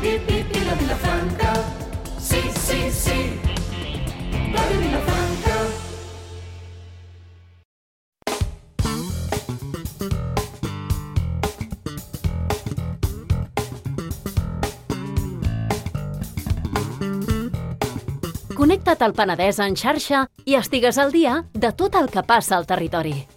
la Vilafranca. Sí, sí, sí, Ràdio Vilafranca. Connecta't al Penedès en xarxa i estigues al dia de tot el que passa al territori.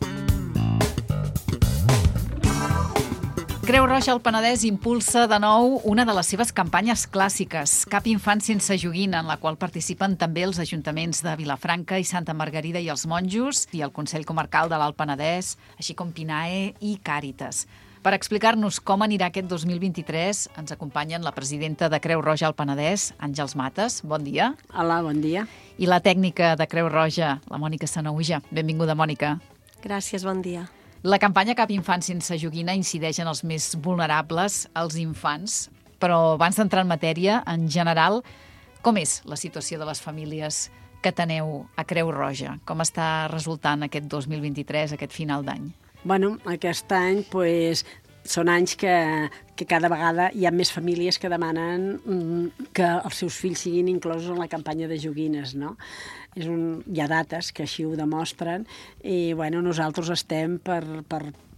Creu Roja al Penedès impulsa de nou una de les seves campanyes clàssiques, Cap infant sense joguina, en la qual participen també els ajuntaments de Vilafranca i Santa Margarida i els Monjos i el Consell Comarcal de l'Alt Penedès, així com PINAE i Càritas. Per explicar-nos com anirà aquest 2023, ens acompanyen la presidenta de Creu Roja al Penedès, Àngels Mates. Bon dia. Hola, bon dia. I la tècnica de Creu Roja, la Mònica Sanauja. Benvinguda, Mònica. Gràcies, bon dia. La campanya Cap infant sense joguina incideix en els més vulnerables, els infants. Però abans d'entrar en matèria, en general, com és la situació de les famílies que teneu a Creu Roja? Com està resultant aquest 2023, aquest final d'any? Bueno, aquest any són anys que cada vegada hi ha més famílies que demanen que els seus fills siguin inclosos en la campanya de joguines, no? Hi ha dates que així ho demostren i nosaltres estem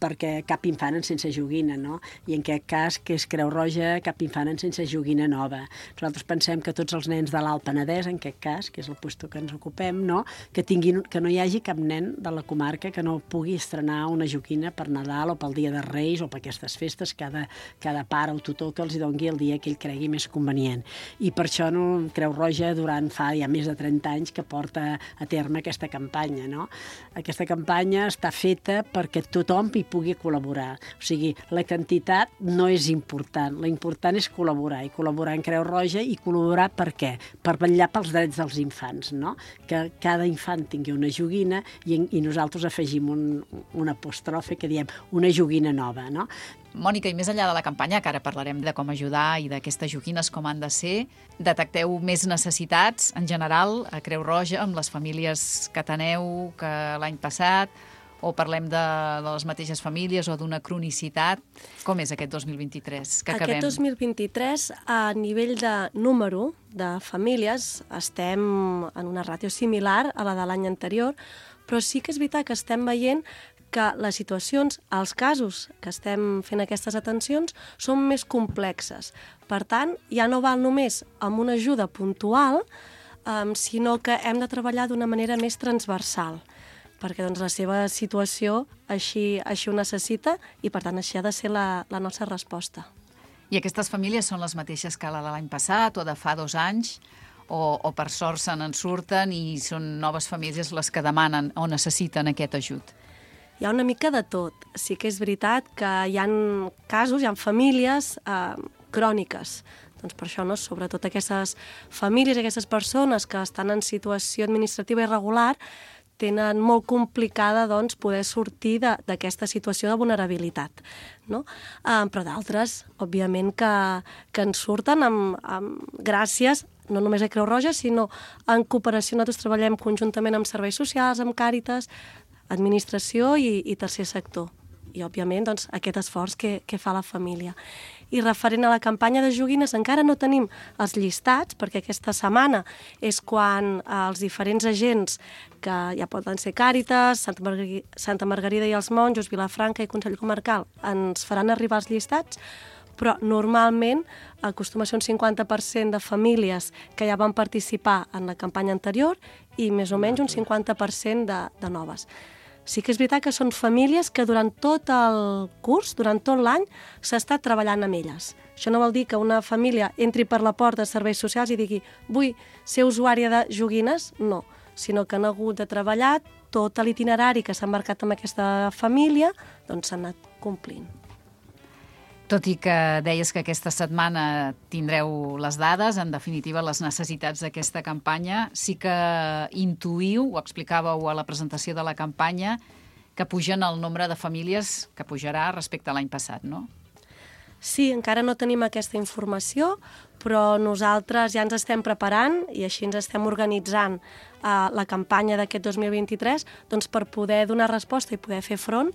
perquè cap infant sense joguina, no? I en aquest cas, que és Creu Roja, cap infant sense joguina nova. Nosaltres pensem que tots els nens de l'Alt Penedès, en aquest cas, que és el lloc que ens ocupem, no? Que no hi hagi cap nen de la comarca que no pugui estrenar una joguina per Nadal o pel Dia de Reis o per aquestes festes, cada pare o tutor que els doni el dia que ell cregui més convenient. I per això Creu Roja fa ja més de 30 anys que porta a terme aquesta campanya, no? Aquesta campanya està feta perquè tothom hi pugui col·laborar. O sigui, la quantitat no és important. L'important és col·laborar, i col·laborar en Creu Roja, i col·laborar per què? Per vetllar pels drets dels infants, no? Que cada infant tingui una joguina i nosaltres afegim un apòstrofe que diem una joguina nova, no? Mònica, i més enllà de la campanya, que ara parlarem de com ajudar i d'aquestes joguines com han de ser, detecteu més necessitats en general a Creu Roja amb les famílies que teneu que l'any passat, o parlem de les mateixes famílies o d'una cronicitat? Com és aquest 2023 que acabem? Aquest 2023, a nivell de número de famílies, estem en una ràtio similar a la de l'any anterior, però sí que és veritat que estem veient que les situacions, els casos que estem fent aquestes atencions, són més complexes. Per tant, ja no val només amb una ajuda puntual, sinó que hem de treballar d'una manera més transversal, perquè la seva situació així ho necessita i, per tant, així ha de ser la nostra resposta. I aquestes famílies són les mateixes que la de l'any passat o de fa 2 anys? O per sort se n'en surten i són noves famílies les que demanen o necessiten aquest ajut? Hi ha una mica de tot. Sí que és veritat que hi ha casos, hi ha famílies cròniques. Doncs per això, sobretot aquestes famílies, aquestes persones que estan en situació administrativa irregular, tenen molt complicada poder sortir d'aquesta situació de vulnerabilitat, no? Però d'altres, òbviament, que en surten gràcies no només a Creu Roja, sinó en cooperació. Nosaltres treballem conjuntament amb serveis socials, amb Càritas, administració i tercer sector. I, òbviament, aquest esforç que fa la família. I referent a la campanya de joguines, encara no tenim els llistats, perquè aquesta setmana és quan els diferents agents, que ja poden ser Càritas, Santa Margarida i els Monjos, Vilafranca i Consell Comarcal, ens faran arribar els llistats, però normalment acostuma a ser un 50% de famílies que ja van participar en la campanya anterior i més o menys un 50% de noves. Sí que és veritat que són famílies que durant tot el curs, durant tot l'any, s'ha estat treballant amb elles. Això no vol dir que una família entri per la porta de serveis socials i digui vull ser usuària de joguines, no, sinó que han hagut de treballar tot l'itinerari que s'ha marcat amb aquesta família, doncs s'ha anat complint. Tot i que deies que aquesta setmana tindreu les dades, en definitiva les necessitats d'aquesta campanya, sí que intuïu, ho explicàveu a la presentació de la campanya, que pugen el nombre de famílies que pujarà respecte a l'any passat, no? Sí, encara no tenim aquesta informació, però nosaltres ja ens estem preparant i així ens estem organitzant la campanya d'aquest 2023 doncs, per poder donar resposta i poder fer front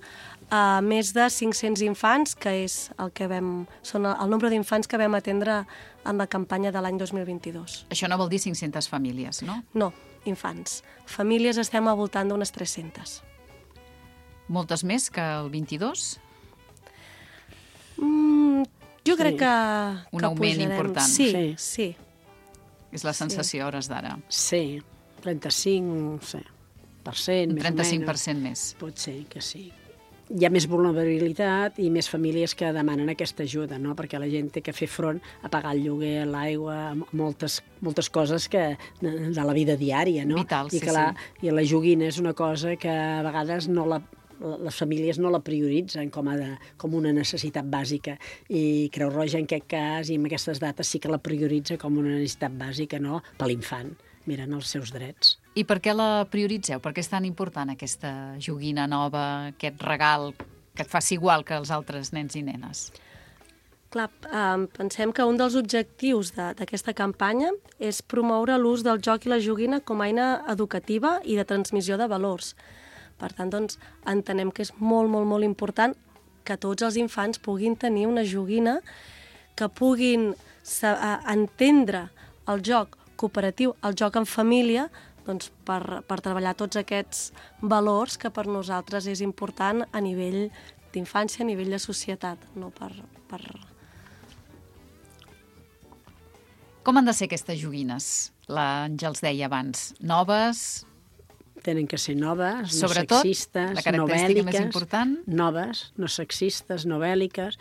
a més de 500 infants, que és són el nombre d'infants que vam atendre en la campanya de l'any 2022. Això no vol dir 500 famílies, no? No, infants. Famílies estem al voltant d'unes 300. Moltes més que el 22? Jo crec que Un augment pujarem. important. Sí. És la sensació a hores d'ara. Sí, 35, no sé, %, Un més o menys. 35% més. Pot ser que sí. Hi ha més vulnerabilitat i més famílies que demanen aquesta ajuda, no? Perquè la gent té que fer front a pagar el lloguer, l'aigua, moltes coses que de la vida diària, no? Vital, sí, I I la joguina és una cosa que a vegades les famílies no la prioritzen com una necessitat bàsica, i Creu Roja en aquest cas i en aquestes dates sí que la prioritza com una necessitat bàsica, no? Per l'infant, miren els seus drets. I per què la prioritzeu? Per què és tan important aquesta joguina nova, aquest regal que et faci igual que els altres nens i nenes? Clar, pensem que un dels objectius d'aquesta campanya és promoure l'ús del joc i la joguina com a eina educativa i de transmissió de valors. Per tant, doncs, entenem que és molt, molt, molt important que tots els infants puguin tenir una joguina, que puguin entendre el joc cooperatiu, el joc en família, doncs, per treballar tots aquests valors que per nosaltres és important a nivell d'infància, a nivell de societat, no per... Com han de ser aquestes joguines? L'Àngels deia abans, noves... Tenen que ser noves, no Sobretot, sexistes, la característica més important... noves, no sexistes, no bèl·liques,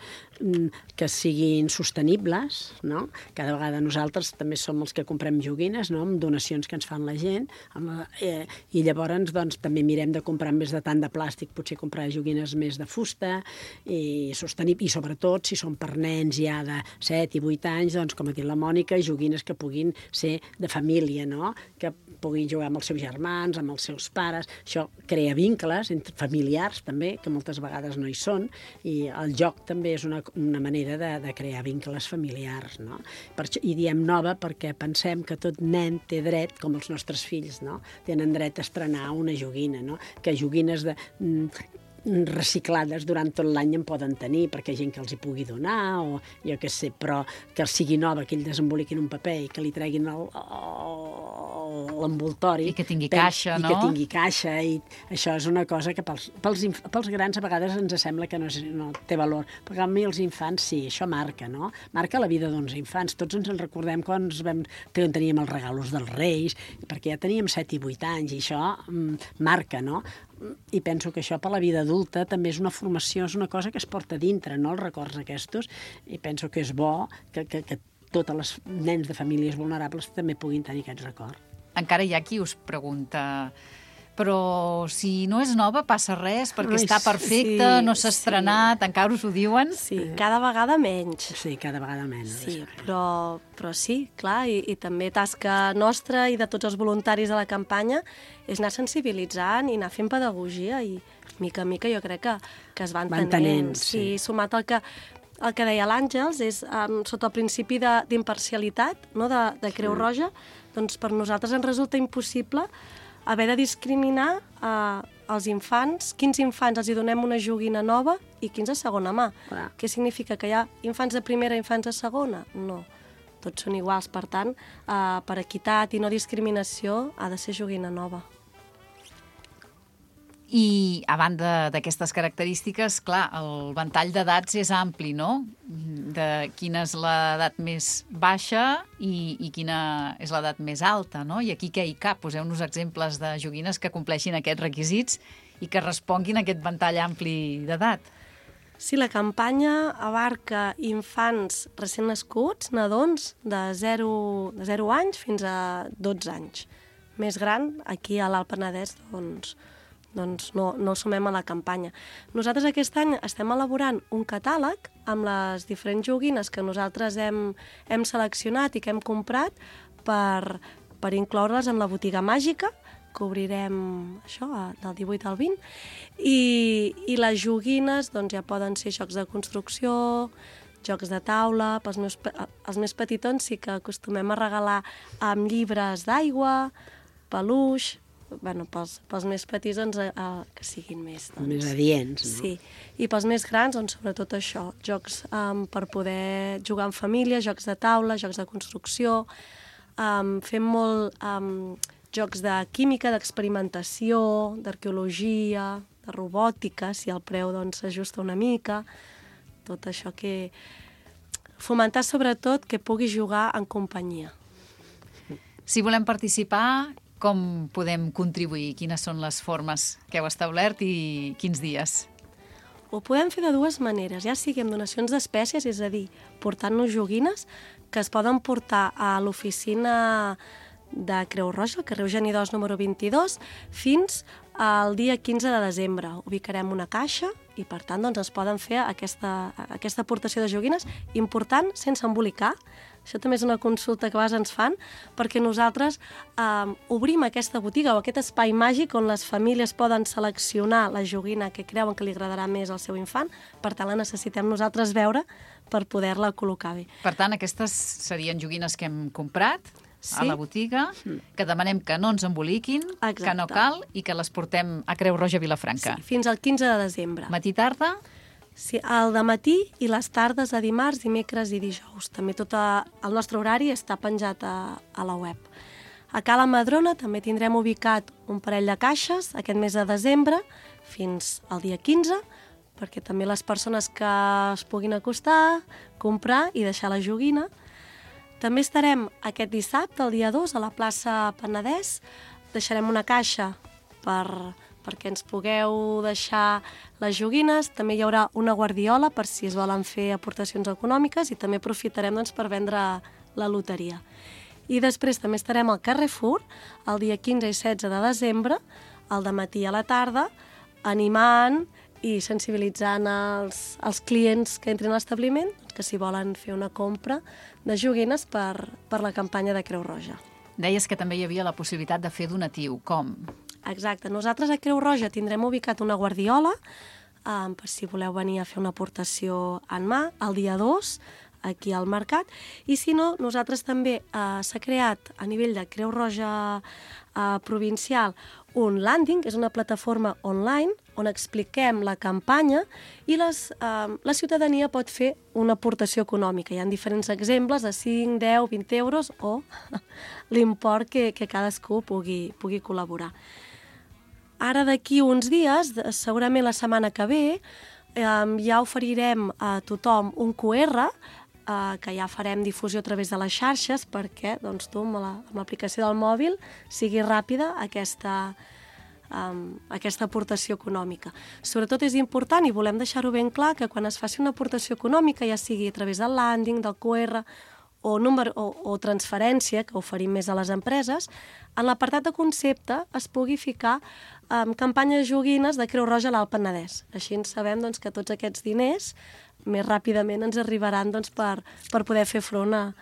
que siguin sostenibles, no? Cada vegada nosaltres també som els que comprem joguines, no? Amb donacions que ens fan la gent, i llavors doncs, també mirem de comprar més de tant de plàstic, potser comprar joguines més de fusta, i sobretot, si són per nens ja de 7 i 8 anys, doncs, com ha dit la Mònica, joguines que puguin ser de família, no? Que puguin jugar amb els seus germans, amb els seus pares. Això crea vincles entre familiars també, que moltes vegades no hi són, i el joc també és una manera de crear vincles familiars, no? I diem nova perquè pensem que tot nen té dret, com els nostres fills, no? Tenen dret a estrenar una joguina, no? Que joguines reciclades durant tot l'any en poden tenir, perquè hi ha gent que els hi pugui donar, o jo què sé, però que sigui nova, que ells desemboliquin un paper i que li treguin l'envoltori. I que tingui caixa, no? I que tingui caixa, i això és una cosa que pels grans a vegades ens sembla que no té valor, però a mi els infants sí, això marca, no? Marca la vida d'uns infants. Tots ens en recordem quan teníem els regalos dels Reis, perquè ja teníem 7 i 8 anys, i això marca, no? I penso que això per la vida adulta també és una formació, és una cosa que es porta dintre, no?, els records aquests, i penso que és bo que tots els nens de famílies vulnerables també puguin tenir aquest record. Encara hi ha qui us pregunta, però si no és nova passa res, perquè està perfecta, no s'ha estrenat, encara us ho diuen? Sí, cada vegada menys. Sí, cada vegada menys. Sí, però sí, clar, i també tasca nostra i de tots els voluntaris de la campanya és anar sensibilitzant i anar fent pedagogia, i mica a mica jo crec que es van tenint. Sí, sumat al que deia l'Àngels, és sota el principi d'imparcialitat, no, de Creu Roja, doncs per nosaltres ens resulta impossible haver de discriminar els infants, quins infants els hi donem una joguina nova i quins de segona mà. Què significa? Que hi ha infants de primera i infants de segona? No, tots són iguals. Per tant, per equitat i no discriminació, ha de ser joguina nova. I, a banda d'aquestes característiques, clar, el ventall d'edats és ampli, no? De quina és l'edat més baixa i quina és l'edat més alta, no? I aquí què hi cap? Poseu-nos exemples de joguines que compleixin aquests requisits i que responguin a aquest ventall ampli d'edat. Sí, la campanya abarca infants recent nascuts, nadons de 0 anys fins a 12 anys. Més gran, aquí a l'Alt Penedès, doncs no sumem a la campanya. Nosaltres aquest any estem elaborant un catàleg amb les diferents joguines que nosaltres hem seleccionat i que hem comprat per incloure-les en la botiga màgica, que obrirem això del 18 al 20, i les joguines doncs, ja poden ser jocs de construcció, jocs de taula, els més petitons sí que acostumem a regalar amb llibres d'aigua, peluix, pels més petits que siguin més... Més adients, no? Sí, i pels més grans, sobretot això, jocs per poder jugar en família, jocs de taula, jocs de construcció, fem molt jocs de química, d'experimentació, d'arqueologia, de robòtica, si el preu s'ajusta una mica, tot això que... Fomentar sobretot que pugui jugar en companyia. Si volem participar, com podem contribuir? Quines són les formes que heu establert i quins dies? Ho podem fer de dues maneres, ja sigui amb donacions d'espècies, és a dir, portant-nos joguines que es poden portar a l'oficina de Creu Roja, al carrer Eugeni d'Os número 22, fins al dia 15 de desembre. Ubicarem una caixa i, per tant, es poden fer aquesta aportació de joguines important sense embolicar. Això també és una consulta que a vegades ens fan, perquè nosaltres obrim aquesta botiga o aquest espai màgic on les famílies poden seleccionar la joguina que creuen que li agradarà més al seu infant. Per tant, la necessitem nosaltres veure per poder-la col·locar bé. Per tant, aquestes serien joguines que hem comprat a la botiga, que demanem que no ens emboliquin, que no cal, i que les portem a Creu Roja Vilafranca. Sí, fins al 15 de desembre. Matí-tarda? Sí, al dematí i les tardes a dimarts, dimecres i dijous. També tot el nostre horari està penjat a la web. A Cala Madrona també tindrem ubicat un parell de caixes aquest mes de desembre fins al dia 15, perquè també les persones que es puguin acostar, comprar i deixar la joguina. També estarem aquest dissabte, el dia 2, a la plaça Penedès. Deixarem una caixa perquè ens pugueu deixar les joguines. També hi haurà una guardiola per si es volen fer aportacions econòmiques i també aprofitarem per vendre la loteria. I després també estarem al Carrefour el dia 15 i 16 de desembre, al dematí a la tarda, animant i sensibilitzant els clients que entrin a l'establiment que si volen fer una compra de joguines per la campanya de Creu Roja. Deies que també hi havia la possibilitat de fer donatiu. Com? Exacte. Nosaltres a Creu Roja tindrem ubicat una guardiola per si voleu venir a fer una aportació en mà el dia 2 aquí al mercat. I si no, nosaltres també s'ha creat a nivell de Creu Roja provincial un landing, que és una plataforma online on expliquem la campanya i la ciutadania pot fer una aportació econòmica. Hi ha diferents exemples de 5, 10, 20 euros o l'import que cadascú pugui col·laborar. Ara d'aquí uns dies, segurament la setmana que ve, ja oferirem a tothom un QR que ja farem difusió a través de les xarxes perquè tu amb l'aplicació del mòbil sigui ràpida aquesta aportació econòmica. Sobretot és important i volem deixar-ho ben clar que quan es faci una aportació econòmica, ja sigui a través del landing, del QR o transferència, que oferim més a les empreses, en l'apartat de concepte es pugui ficar campanya de joguines de Creu Roja a l'Alt Penedès. Així sabem que tots aquests diners més ràpidament ens arribaran per poder fer front a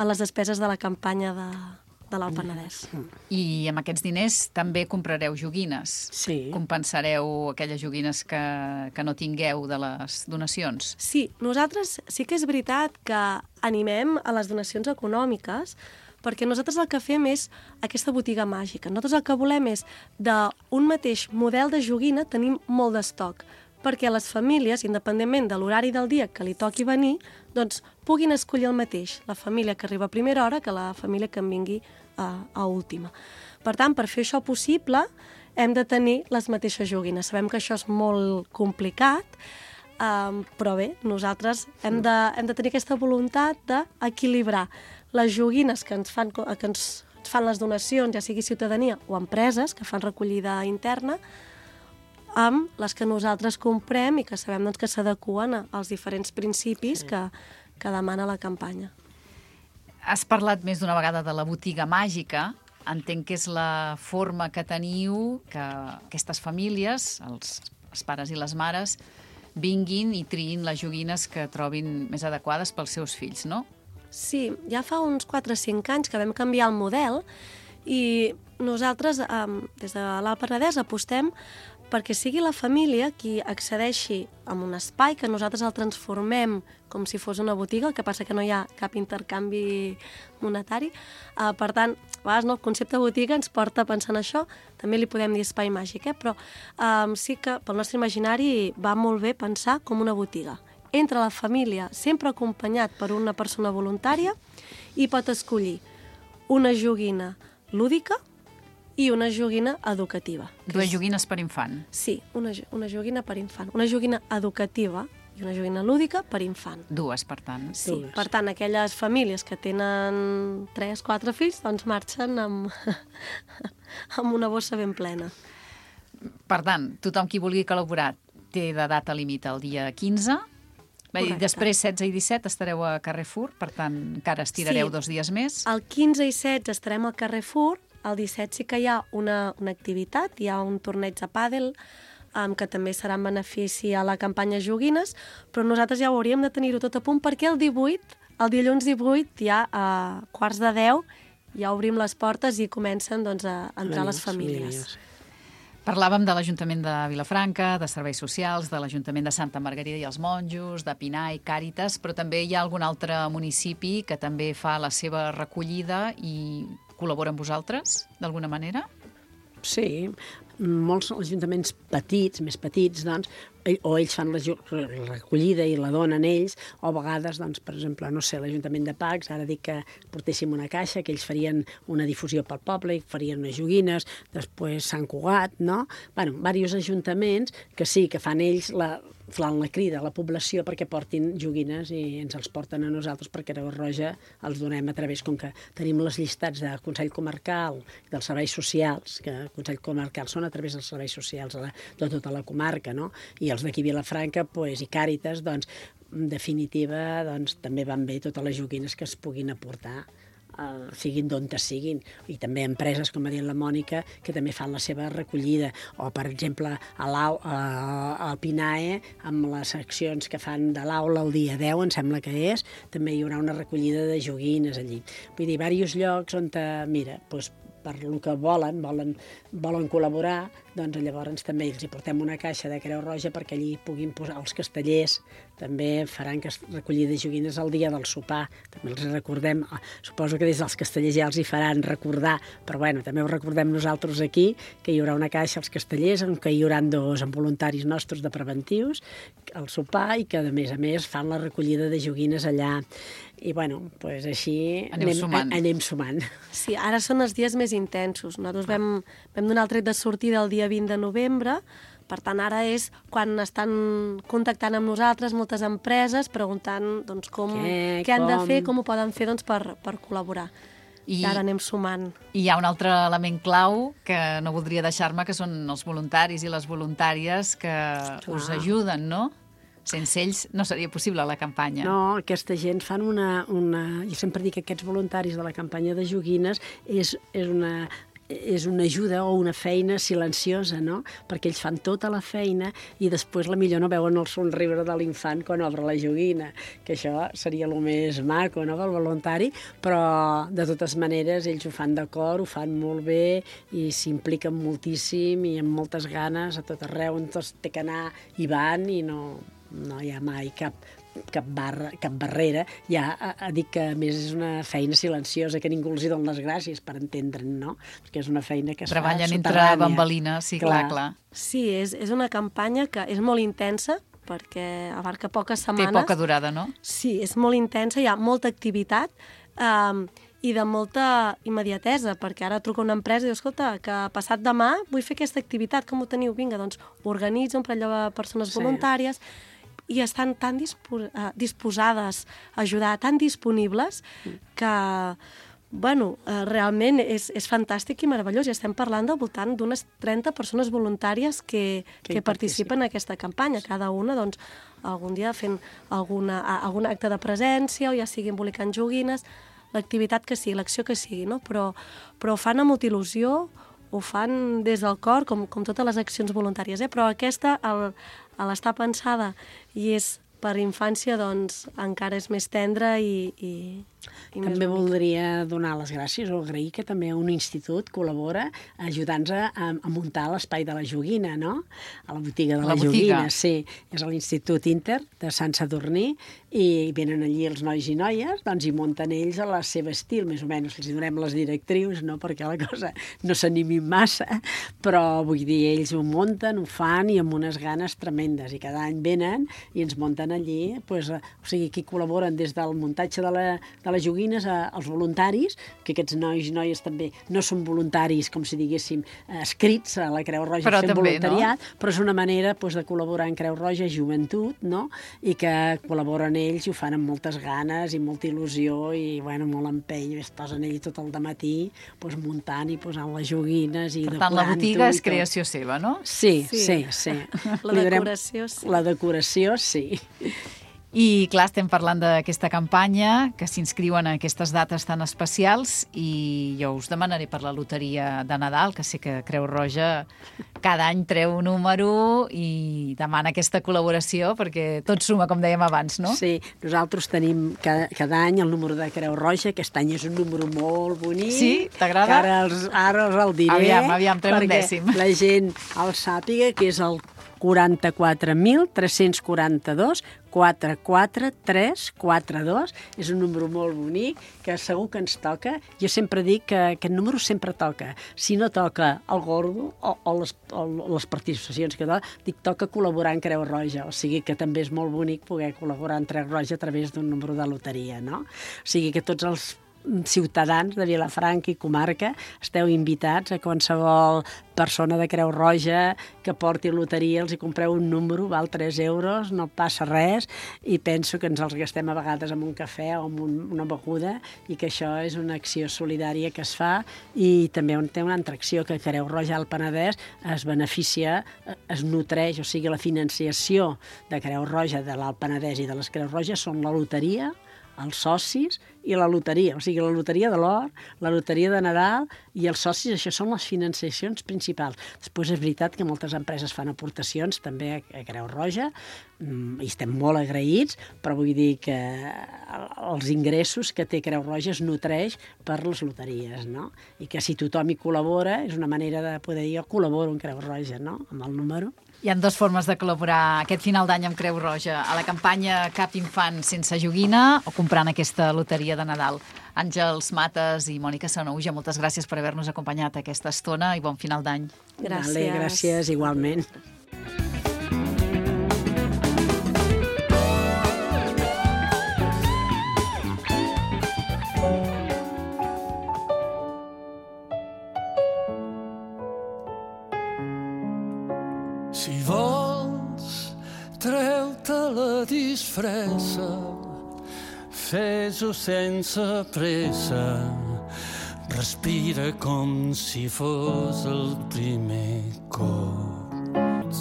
les despeses de la campanya de l'Alt Penedès. I amb aquests diners també comprareu joguines? Sí. Compensareu aquelles joguines que no tingueu de les donacions? Sí, nosaltres sí que és veritat que animem a les donacions econòmiques perquè nosaltres el que fem és aquesta botiga màgica. Nosaltres el que volem és d'un mateix model de joguina tenim molt d'estoc perquè les famílies, independentment de l'horari del dia que li toqui venir, puguin escollir el mateix, la família que arriba a primera hora que la família que en vingui a última. Per tant, per fer això possible, hem de tenir les mateixes joguines. Sabem que això és molt complicat, però bé, nosaltres hem de tenir aquesta voluntat d'equilibrar les joguines que ens fan les donacions, ja sigui ciutadania o empreses que fan recollida interna, amb les que nosaltres comprem i que sabem que s'adeqüen als diferents principis que demana la campanya. Has parlat més d'una vegada de la botiga màgica. Entenc que és la forma que teniu que aquestes famílies, els pares i les mares, vinguin i triïn les joguines que trobin més adequades pels seus fills, no? Sí, ja fa uns 4 o 5 anys que vam canviar el model i nosaltres, des de l'Alt Penedès, apostem perquè sigui la família qui accedeixi a un espai que nosaltres el transformem com si fos una botiga, el que passa que no hi ha cap intercanvi monetari. Per tant, a vegades el concepte botiga ens porta a pensar en això, també li podem dir espai màgic, però sí que pel nostre imaginari va molt bé pensar com una botiga. Entra la família sempre acompanyat per una persona voluntària i pot escollir una joguina lúdica i una joguina educativa. Dues joguines per infant. Sí, una joguina per infant. Una joguina educativa i una joguina lúdica per infant. Dues, per tant. Sí, per tant, aquelles famílies que tenen 3-4 fills, doncs marxen amb una bossa ben plena. Per tant, tothom qui vulgui col·laborar té de data límit el dia 15. Després, 16 i 17, estareu a Carrefour, per tant, encara estirareu 2 dies més. El 15 i 16 estarem al Carrefour, el 17 sí que hi ha una activitat, hi ha un torneig de pàdel, que també serà en benefici a la campanya Joguines, però nosaltres ja ho hauríem de tenir-ho tot a punt, perquè el dilluns 18, ja a 9:45, ja obrim les portes i comencen doncs, a entrar les famílies. Parlàvem de l'Ajuntament de Vilafranca, de Serveis Socials, de l'Ajuntament de Santa Margarida i els Monjos, de Pinar i Càritas, però també hi ha algun altre municipi que també fa la seva recollida i col·labora amb vosaltres, d'alguna manera? Sí, molts ajuntaments petits, més petits, doncs, o ells fan la recollida i la donen ells, o a vegades, doncs, per exemple, no sé, l'Ajuntament de Pacs, ara dic que portéssim una caixa, que ells farien una difusió pel poble, farien unes joguines, després Sant Cugat, no? Bueno, diversos ajuntaments que sí, que fan ells la crida a la població perquè portin joguines i ens els porten a nosaltres perquè Creu Roja els donem a través, com que tenim les llistats del Consell Comarcal i dels serveis socials, que el Consell Comarcal són a través dels serveis socials de tota la comarca, no? I els d'aquí Vilafranca i Càritas, doncs, en definitiva, doncs, també van bé totes les joguines que es puguin aportar, siguin d'on siguin, i també empreses, com ha dit la Mònica, que també fan la seva recollida, o per exemple al PINAE, amb les accions que fan de l'aula el dia 10, em sembla que és, també hi haurà una recollida de joguines allí. Vull dir, diversos llocs on, mira, doncs, per lo que volen col·laborar, doncs llavors també els hi portem una caixa de Creu Roja perquè allí puguin posar els castellers, també faran recollida de joguines el dia del sopar, també els recordem, suposo que des dels castellers ja els hi faran recordar, però bueno, també ho recordem nosaltres aquí, que hi haurà una caixa als castellers, en què hi haurà 2 voluntaris nostres de preventius, al sopar, i que a més fan la recollida de joguines allà. I bueno, doncs així anem sumant. Sí, ara són els dies més intensos. Nosaltres vam donar el tret de sortida el dia 20 de novembre, per tant ara és quan estan contactant amb nosaltres moltes empreses preguntant doncs, què han de fer, com ho poden fer doncs, per col·laborar. I ara anem sumant. I hi ha un altre element clau que no voldria deixar-me, que són els voluntaris i les voluntàries que us ajuden, no? Sense ells no seria possible la campanya. No, aquesta gent fan jo sempre dic que aquests voluntaris de la campanya de joguines és una ajuda o una feina silenciosa, no? Perquè ells fan tota la feina i després la millor no veuen el somriure de l'infant quan obre la joguina, que això seria el més maco, no?, del voluntari, però de totes maneres ells ho fan d'acord, ho fan molt bé i s'impliquen moltíssim i amb moltes ganes a tot arreu on tots té que anar i van, i no hi ha mai cap barrera. Ja dic que a més és una feina silenciosa, que ningú els hi dona les gràcies, per entendre'n, no? Perquè és una feina que es fa soterrània. Treballen entre bambalines, sí, clar. Sí, és una campanya que és molt intensa, perquè abarca poques setmanes. Té poca durada, no? Sí, és molt intensa, hi ha molta activitat i de molta immediatesa, perquè ara truca una empresa i diu, escolta, que passat demà vull fer aquesta activitat, com ho teniu? Vinga, doncs organitza un parell de persones voluntàries, i estan tan disposades a ajudar, tan disponibles, que, bueno, realment és fantàstic i meravellós. I estem parlant del voltant d'unes 30 persones voluntàries que participen en aquesta campanya, cada una, doncs, algun dia fent algun acte de presència, o ja sigui embolicant joguines, l'activitat que sigui, l'acció que sigui, no? Però ho fan amb molta il·lusió, ho fan des del cor, com totes les accions voluntàries, però aquesta, a l'estar pensada i és per infància, doncs encara és més tendre i també voldria donar les gràcies o agrair que també un institut col·labora ajudant-nos a muntar l'espai de la joguina, no? A la botiga de la joguina, sí. És l'Institut Inter de Sant Sadurní i venen allí els nois i noies, doncs hi munten ells a la seva estil, més o menys. Els donem les directrius, no? Perquè la cosa no s'animi massa, però vull dir, ells ho munten, ho fan i amb unes ganes tremendes. I cada any venen i ens munten allí, pues, o sigui, aquí col·laboren des del muntatge de les joguines als voluntaris, que aquests nois i noies també no són voluntaris, com si diguéssim, escrits a la Creu Roja però fent també, voluntariat, no? Però és una manera de col·laborar en Creu Roja Joventut, no? I que col·laboren ells i ho fan amb moltes ganes i molta il·lusió i, bueno, molt empeny. Es posen ells tot el dematí muntant i posant les joguines i decorant-ho. Per tant, la botiga és creació seva, no? Sí. La decoració, sí. La decoració, sí. I, clar, estem parlant d'aquesta campanya, que s'inscriu en aquestes dates tan especials, i jo us demanaré per la loteria de Nadal, que sé que Creu Roja cada any treu un número i demana aquesta col·laboració, perquè tot suma, com dèiem abans, no? Sí, nosaltres tenim cada any el número de Creu Roja, aquest any és un número molt bonic. Sí? T'agrada? Ara us el diré. Aviam, treu un dècim. Perquè la gent el sàpiga, que és el 44.342 44342. És un número molt bonic que segur que ens toca. Jo sempre dic que aquest número sempre toca. Si no toca el gordo o les participacions que dic, toca col·laborar en Creu Roja. O sigui que també és molt bonic poder col·laborar en Creu Roja a través d'un número de loteria, no? O sigui que tots els ciutadans de Vilafranca i comarca esteu invitats a qualsevol persona de Creu Roja que porti loteria, els hi compreu un número, val 3 euros, no passa res, i penso que ens els gastem a vegades amb un cafè o amb una beguda, i que això és una acció solidària que es fa. I també té una altra acció, que Creu Roja al Penedès es beneficia, es nutreix, o sigui, la financiació de Creu Roja de l'Alt Penedès i de les Creus Roges són la loteria, els socis i la loteria, o sigui, la loteria de l'or, la loteria de Nadal i els socis, això són les financiacions principals. Després és veritat que moltes empreses fan aportacions també a Creu Roja i estem molt agraïts, però vull dir que els ingressos que té Creu Roja es nutreix per les loteries, no? I que si tothom hi col·labora és una manera de poder dir, jo col·laboro en Creu Roja, no? Amb el número. Hi ha 2 formes de col·laborar aquest final d'any amb Creu Roja: a la campanya Cap infant sense joguina o comprant aquesta loteria de Nadal. Àngels Mates i Mònica Sanahuja, moltes gràcies per haver-nos acompanyat aquesta estona i bon final d'any. Gràcies. Vale, gràcies, igualment. Si vols, treu-te la disfressa, fes-ho sense pressa, respira com si fos el primer cop.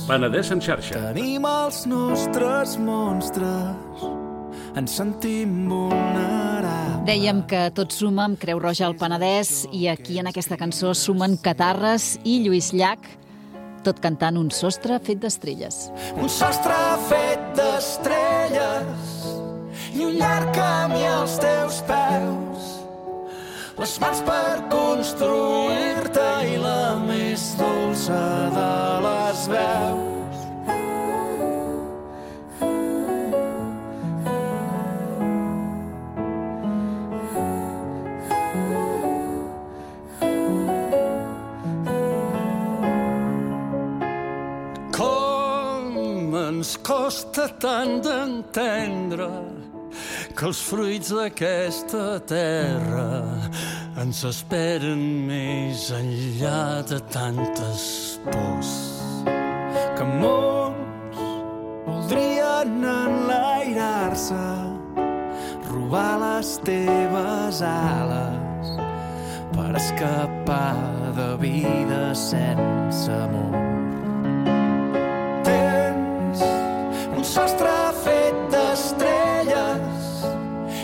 Penedès en xarxa. Tenim els nostres monstres, ens sentim vulnerables. Dèiem que tot suma amb Creu Roja al Penedès, i aquí en aquesta cançó sumen Catarres i Lluís Llach, tot cantant Un sostre fet d'estrelles. Un sostre fet d'estrelles i un llarg camí als teus peus, les mans per construir-te i la més dolça de les veus. Ens costa tant d'entendre que els fruits d'aquesta terra ens esperen més enllà de tantes pors. Que molts voldrien enlairar-se, robar les teves ales per escapar de vida sense amor. Un sostre fet d'estrelles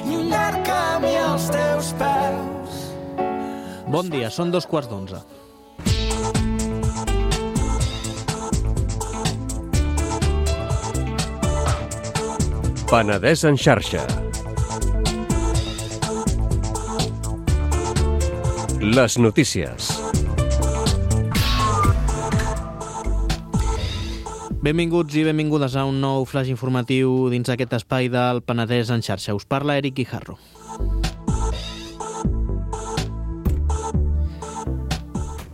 i un llarg camí als teus peus. Bon dia, són 11:15. Penedès en xarxa. Les notícies. Benvinguts i benvingudes a un nou flash informatiu dins aquest espai del Penedès en xarxa. Us parla Eric Guijarro.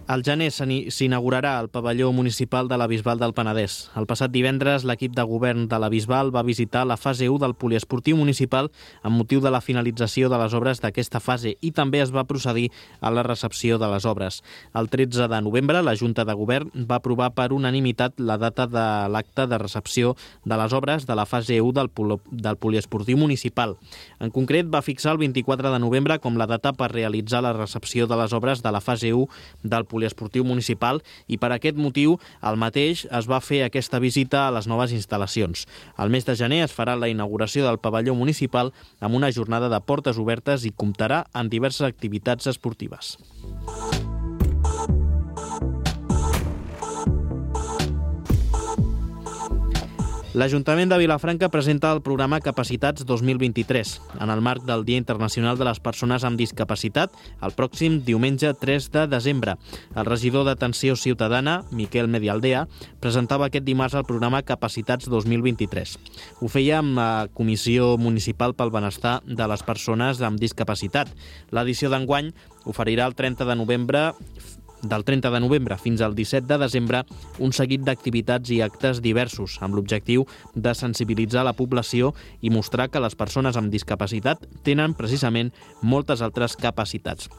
Al gener s'inaugurarà el pavelló municipal de la Bisbal del Penedès. El passat divendres, l'equip de govern de la Bisbal va visitar la fase 1 del poliesportiu municipal amb motiu de la finalització de les obres d'aquesta fase i també es va procedir a la recepció de les obres. El 13 de novembre, la Junta de Govern va aprovar per unanimitat la data de l'acte de recepció de les obres de la fase 1 del poliesportiu municipal. En concret, va fixar el 24 de novembre com la data per realitzar la recepció de les obres de la fase 1 del poliesportiu municipal i per aquest motiu el mateix es va fer aquesta visita a les noves instal·lacions. Al mes de gener es farà la inauguració del pavelló municipal amb una jornada de portes obertes i comptarà amb diverses activitats esportives. L'Ajuntament de Vilafranca presenta el programa Capacitats 2023 en el marc del Dia Internacional de les Persones amb Discapacitat el pròxim diumenge 3 de desembre. El regidor d'Atenció Ciutadana, Miquel Medialdea, presentava aquest dimarts el programa Capacitats 2023. Ho feia amb la Comissió Municipal pel Benestar de les Persones amb Discapacitat. L'edició d'enguany oferirà del 30 de novembre fins al 17 de desembre un seguit d'activitats i actes diversos amb l'objectiu de sensibilitzar la població i mostrar que les persones amb discapacitat tenen precisament moltes altres capacitats.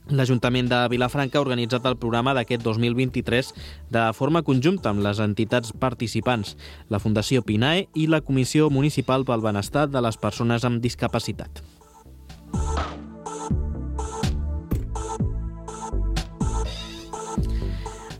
L'Ajuntament de Vilafranca ha organitzat el programa d'aquest 2023 de forma conjunta amb les entitats participants, la Fundació PINAE i la Comissió Municipal pel Benestar de les Persones amb Discapacitat.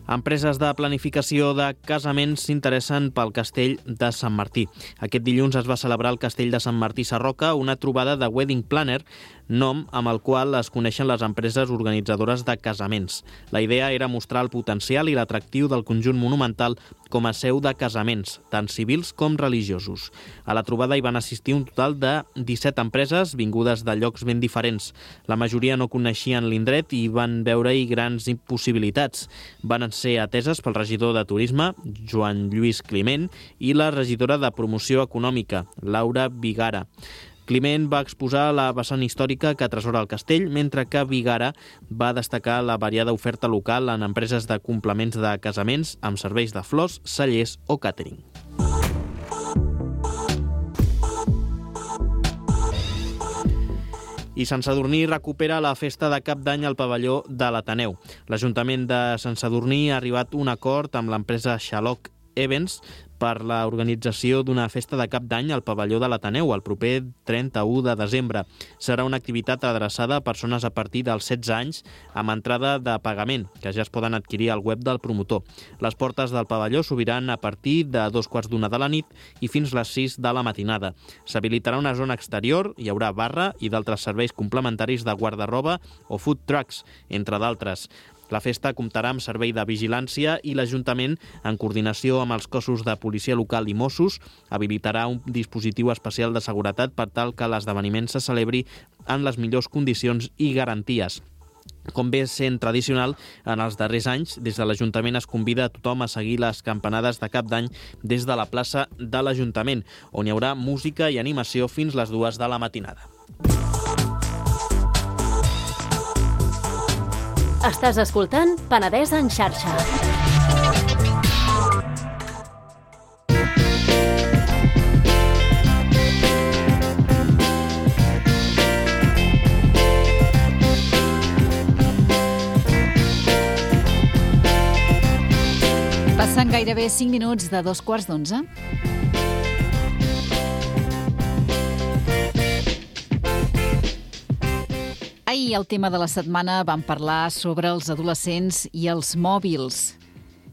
Empreses de planificació de casaments s'interessen pel Castell de Sant Martí. Aquest dilluns es va celebrar al Castell de Sant Martí Sarroca una trobada de Wedding Planner, nom amb el qual es coneixen les empreses organitzadores de casaments. La idea era mostrar el potencial i l'atractiu del conjunt monumental com a seu de casaments, tant civils com religiosos. A la trobada hi van assistir un total de 17 empreses vingudes de llocs ben diferents. La majoria no coneixien l'indret i van veure-hi grans possibilitats. Van ser ateses pel regidor de Turisme, Joan Lluís Climent, i la regidora de Promoció Econòmica, Laura Vigara. Climent va exposar la vessant històrica que atresora el castell, mentre que Vigara va destacar la variada oferta local en empreses de complements de casaments amb serveis de flors, cellers o càtering. I Sant Sadurní recupera la festa de Cap d'Any al pavelló de l'Ateneu. L'Ajuntament de Sant Sadurní ha arribat a un acord amb l'empresa Xaloc Events per l'organització d'una festa de Cap d'Any al pavelló de l'Ateneu el proper 31 de desembre. Serà una activitat adreçada a persones a partir dels 16 anys amb entrada de pagament, que ja es poden adquirir al web del promotor. Les portes del pavelló s'obriran a partir de 2:15 de la nit i fins les 6 de la matinada. S'habilitarà una zona exterior, hi haurà barra i d'altres serveis complementaris de guarda-roba o food trucks, entre d'altres. La festa comptarà amb servei de vigilància i l'Ajuntament, en coordinació amb els cossos de policia local i Mossos, habilitarà un dispositiu especial de seguretat per tal que l'esdeveniment se celebri en les millors condicions i garanties. Com ve sent tradicional, en els darrers anys, des de l'Ajuntament es convida a tothom a seguir les campanades de Cap d'Any des de la plaça de l'Ajuntament, on hi haurà música i animació fins les 2 de la matinada. Estàs escoltant Penedès en xarxa. Passen gairebé 5 minuts de 2:15. Ahir, al tema de la setmana, vam parlar sobre els adolescents i els mòbils.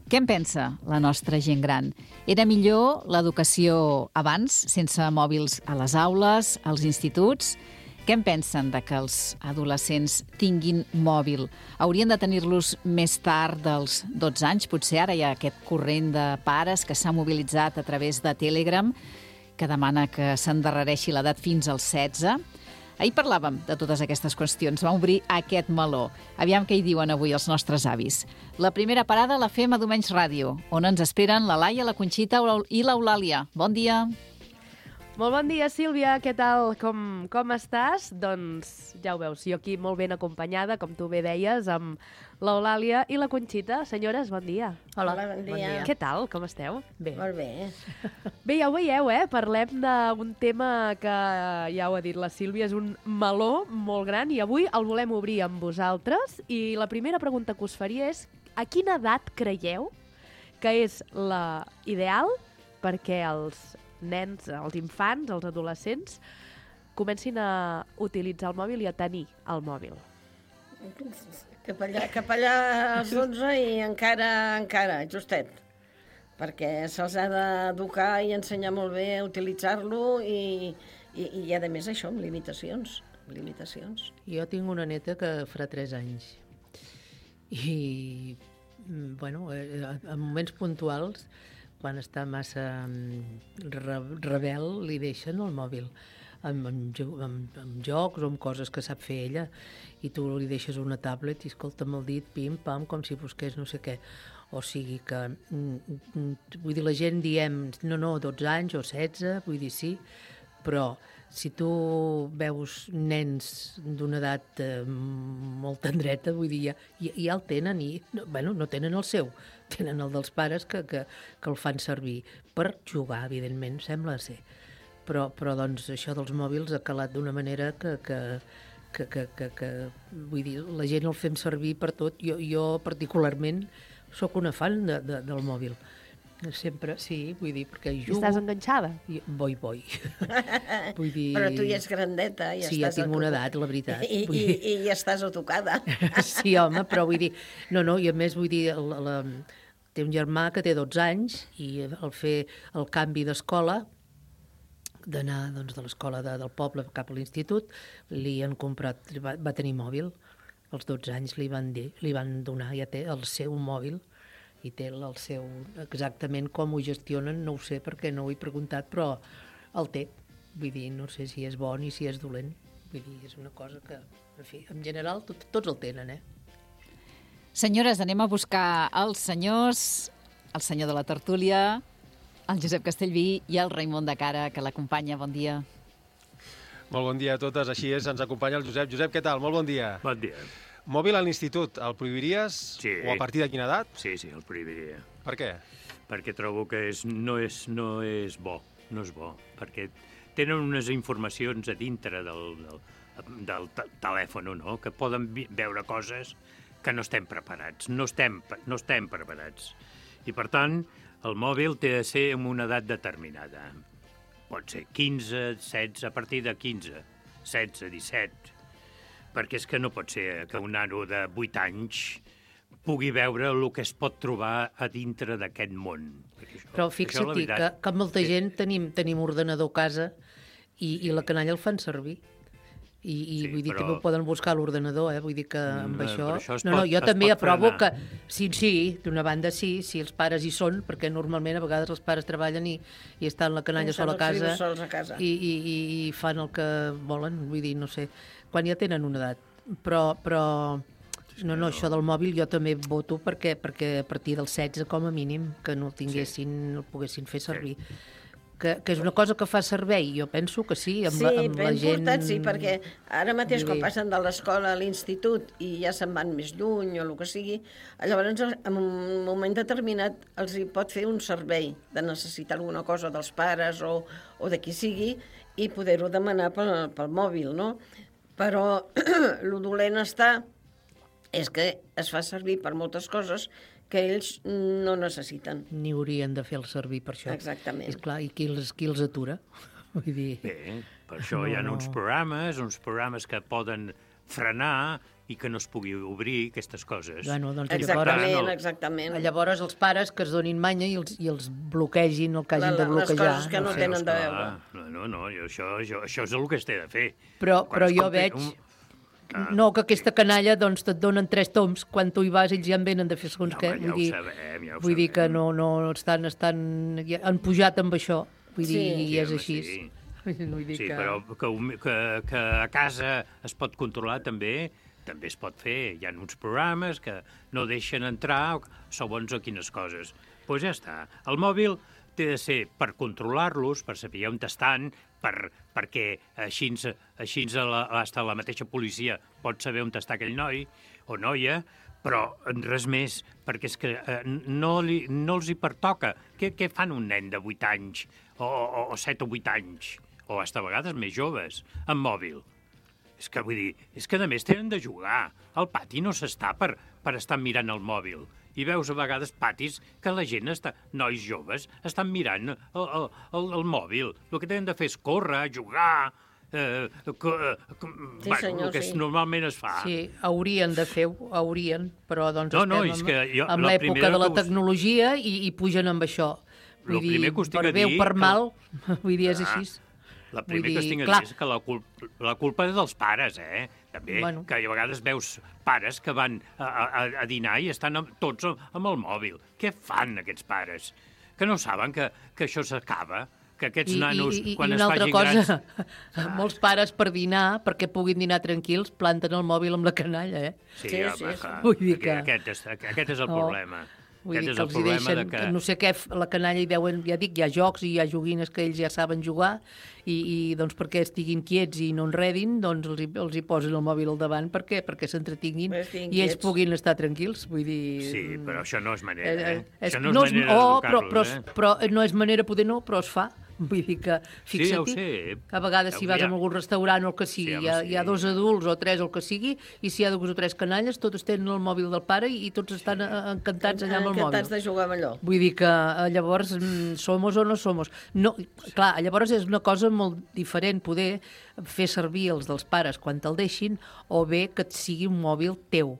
Què en pensa la nostra gent gran? Era millor l'educació abans, sense mòbils a les aules, als instituts? Què en pensen de que els adolescents tinguin mòbil? Haurien de tenir-los més tard dels 12 anys? Potser ara hi ha aquest corrent de pares que s'ha mobilitzat a través de Telegram. que demana que s'endarrereixi l'edat fins als 16. Ahir parlàvem de totes aquestes qüestions, vam obrir aquest meló. Aviam què hi diuen avui els nostres avis. La primera parada la fem a Domenys Ràdio, on ens esperen la Laia, la Conxita i l'Eulàlia. Bon dia. Molt bon dia, Sílvia. Què tal? Com estàs? Doncs ja ho veus, jo aquí molt ben acompanyada, com tu bé deies, amb l'Eulàlia i la Conxita. Senyores, bon dia. Hola, bon dia. Què tal? Com esteu? Bé. Molt bé. Bé, ja ho veieu, Parlem d'un tema que, ja ho ha dit la Sílvia, és un meló molt gran i avui el volem obrir amb vosaltres. I la primera pregunta que us faria és: a quina edat creieu que és la ideal perquè els nens, els infants, els adolescents, comencin a utilitzar el mòbil i a tenir el mòbil? Cap allà als 11 i encara, justet. Perquè se'ls ha d'educar i ensenyar molt bé a utilitzar-lo i a més això, amb limitacions. Jo tinc una neta que farà 3 anys i, bueno, en moments puntuals, quan està massa rebel, li deixen el mòbil amb jocs o amb coses que sap fer ella, i tu li deixes una tablet i escolta amb el dit, pim-pam, com si busqués no sé què. O sigui que, vull dir, la gent diem, no, 12 anys o 16, vull dir, sí, però si tu veus nens d'una edat molt tendreta, vull dir, ja el tenen i, bueno, no tenen el seu, tenen el dels pares que el fan servir per jugar, evidentment, sembla ser. Però doncs, això dels mòbils ha calat d'una manera que vull dir, la gent el fem servir per tot. Jo particularment sóc una fan del mòbil. Sempre, sí, vull dir, perquè jugo... I estàs enganxada? Vull dir... Però tu ja ets grandeta. Sí, ja tinc una edat, la veritat. I ja estàs tocada. Sí, home, però vull dir... No, i a més vull dir... Té un germà que té 12 anys i al fer el canvi d'escola, d'anar doncs, de l'escola del poble cap a l'institut, li han comprat... Va tenir mòbil. Als 12 anys li van donar, ja té el seu mòbil, i té el seu, exactament com ho gestionen, no ho sé perquè no ho he preguntat, però el té. Vull dir, no sé si és bo ni si és dolent. Vull dir, és una cosa que, en fi, en general tots el tenen, Senyores, anem a buscar els senyors, el senyor de la tertúlia, el Josep Castellví i el Raimon de Cara, que l'acompanya. Bon dia. Molt bon dia a totes, així és, ens acompanya el Josep. Josep, què tal? Molt bon dia. Bon dia. Mòbil a l'institut, el prohibiries? Sí. O a partir de quina edat? Sí, el prohibiria. Per què? Perquè trobo que no és bo, perquè tenen unes informacions a dintre del telèfon, no?, que poden veure coses que no estem preparats, no estem preparats. I, per tant, el mòbil té de ser en una edat determinada. Pot ser 15, 16, a partir de 15, 16, 17... perquè és que no pot ser que un nano de 8 anys pugui veure el que es pot trobar a dintre d'aquest món. Però fixa-t'hi que molta gent tenim ordenador a casa i la canalla el fan servir. I vull dir, també ho poden buscar a l'ordenador, vull dir que amb això... Jo també aprovo que... Sí, d'una banda sí, si els pares hi són, perquè normalment a vegades els pares treballen i estan la canalla sola a casa i fan el que volen, vull dir, no sé, quan ja tenen una edat. Però no, això del mòbil jo també voto perquè a partir dels 16 com a mínim que no el poguessin fer servir. Que és una cosa que fa servei, jo penso que sí, amb la gent... Important, sí, perquè ara mateix quan passen de l'escola a l'institut i ja se'n van més lluny o el que sigui, llavors en un moment determinat els hi pot fer un servei de necessitar alguna cosa dels pares o de qui sigui i poder-ho demanar pel mòbil, no? Però el dolent és que es fa servir per moltes coses que ells no necessiten. Ni haurien de fer el servir per això. Exactament. És clar, i qui els atura? Vull dir... Bé, per això hi ha uns programes que poden frenar i que no es pugui obrir aquestes coses. Bueno, doncs exactament. Llavors els pares que es donin manya i els bloquegin el que hagin de bloquejar. Les coses que no tenen de veure. No, això és el que es té de fer. Però jo veig... No, que aquesta canalla doncs et donen 3 toms, quan tu hi vas ells ja en venen de fer segons què. Ja ho sabem. Vull dir que no estan han pujat amb això. Vull dir, Sí, i és home, així. sí. Vull dir Sí, que... però que a casa es pot controlar també es pot fer. Hi ha uns programes que no deixen entrar segons a quines coses. Doncs ja està. El mòbil té de ser per controlar-los, per saber on estan, perquè així hasta la mateixa policia pot saber on està aquell noi o noia, però res més, perquè és que no els hi pertoca. Què fan un nen de 8 anys o 7 o 8 anys, o fins a vegades més joves, amb mòbil? És que, vull dir, és que a més tenen de jugar. Al pati no s'està per estar mirant el mòbil. I veus a vegades patis que la gent, nois joves, estan mirant el mòbil. El que tenen de fer és córrer, jugar, el que normalment es fa. Sí, haurien de fer, però doncs estem en l'època de la tecnologia i pugen amb això. Vull dir, per bé o per mal, vull dir, és així. La primera que es tinc a dir és que la culpa és dels pares, també, que a vegades veus pares que van a dinar i estan tots amb el mòbil. Què fan aquests pares? Que no saben que això s'acaba? Que aquests nanos, quan es facin grans... Molts pares per dinar, perquè puguin dinar tranquils, planten el mòbil amb la canalla, Sí, home, clar. Vull dir que... Aquest és el problema. Vull dir que els hi deixen, no sé què, la canalla hi deuen, ja dic, hi ha jocs i hi ha joguines que ells ja saben jugar i doncs perquè estiguin quiets i no enredin, doncs els hi posen el mòbil al davant. Per què? Perquè s'entretinguin i ells puguin estar tranquils. Vull dir... Sí, però això no és manera, Això no és manera d'educar-los, Però no és manera, poder no, però es fa. Vull dir que, fixa't, a vegades si vas a algun restaurant o el que sigui, hi ha 2 adults o 3 o el que sigui, i si hi ha 2 o 3 canalles, tots tenen el mòbil del pare i tots estan encantats allà amb el mòbil. Encantats de jugar amb allò. Vull dir que llavors somos o no somos. No, clar, llavors és una cosa molt diferent poder fer servir els dels pares quan te'l deixin o bé que et sigui un mòbil teu.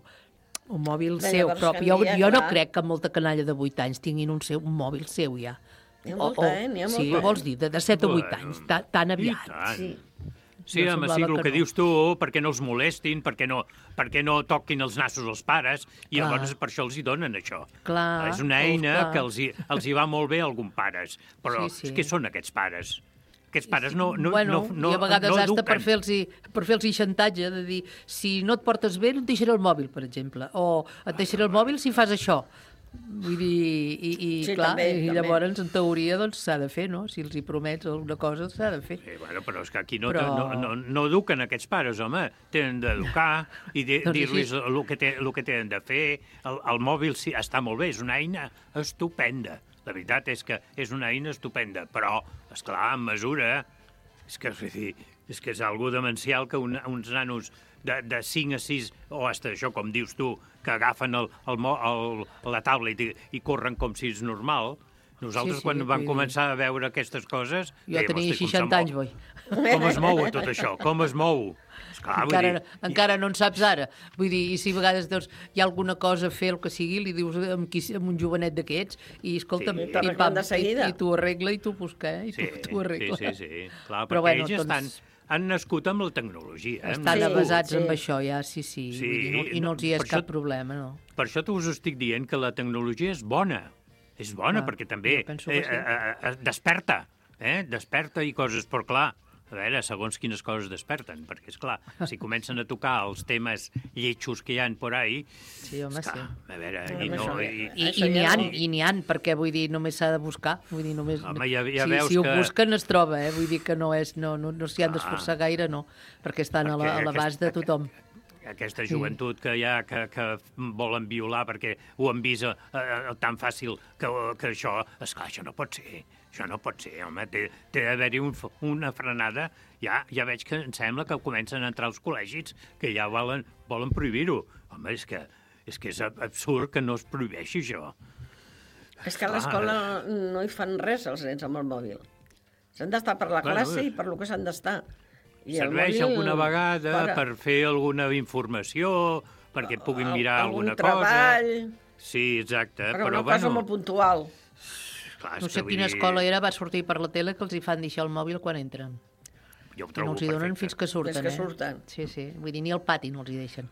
Un mòbil seu propi. Jo no crec que molta canalla de 8 anys tinguin un mòbil seu ja. N'hi ha molta, n'hi ha molta. Sí, vols dir, de 7 o 8 anys, tan aviat. Sí, home, sí, el que dius tu, perquè no els molestin, perquè no toquin els nassos als pares, i llavors per això els hi donen això. És una eina que els hi va molt bé a alguns pares, però què són aquests pares? Aquests pares no eduquen. I a vegades hasta per fer-los xantatge, de dir, si no et portes bé, no et deixaré el mòbil, per exemple, o et deixaré el mòbil si fas això. Vull dir, clar, i llavors, en teoria, doncs s'ha de fer, no? Si els hi promets alguna cosa, s'ha de fer. Sí, bueno, però és que aquí no eduquen aquests pares, home. Tenen d'educar i dir-los el que tenen de fer. El mòbil sí, està molt bé, és una eina estupenda. La veritat és que és una eina estupenda, però, esclar, en mesura, és que és algo demencial que uns nanos de 5 a 6, o hasta això, com dius tu, que agafen la tablet i corren com si és normal. Nosaltres, quan vam començar a veure aquestes coses... Jo tenia 60 anys, boi. Com es mou tot això? Com es mou? Encara no en saps ara. Vull dir, i si a vegades hi ha alguna cosa a fer, el que sigui, li dius amb un jovenet d'aquests, i escolta'm, i tu arregla i tu busca, i tu arregla. Sí. Clar, perquè ells han nascut amb la tecnologia. Estan avasats amb això, ja, sí. I no els hi és cap problema, no. Per això us estic dient que la tecnologia és bona. És bona perquè també desperta. Desperta i coses, però clar, a veure, segons quines coses desperten, perquè, esclar, si comencen a tocar els temes lletjos que hi ha por ahí... Sí, home, sí. A veure, I n'hi ha, perquè, vull dir, només s'ha de buscar. Vull dir, només... Home, ja veus si ho busquen es troba, Vull dir que no s'hi han d'esforçar gaire, no, perquè estan a l'abast de tothom. Aquesta joventut que hi ha, que volen violar perquè ho han vist tan fàcil que això... Esclar, això no pot ser. Això no pot ser, home. Té d'haver-hi una frenada. Ja veig que em sembla que comencen a entrar als col·legis que ja volen prohibir-ho. Home, és que és absurd que no es prohibeixi això. És que a l'escola no hi fan res els nens amb el mòbil. S'han d'estar per la classe i per lo que s'han d'estar. Serveix alguna vegada per fer alguna informació, perquè puguin mirar alguna cosa. Algun treball. Sí, exacte. Però una cosa molt puntual. No sé quina escola era, va sortir per la tele que els hi fan deixar el mòbil quan entren. Jo ho trobo perfecte. No els hi donen fins que surten, Fins que surten. Sí. Vull dir, ni al pati no els hi deixen.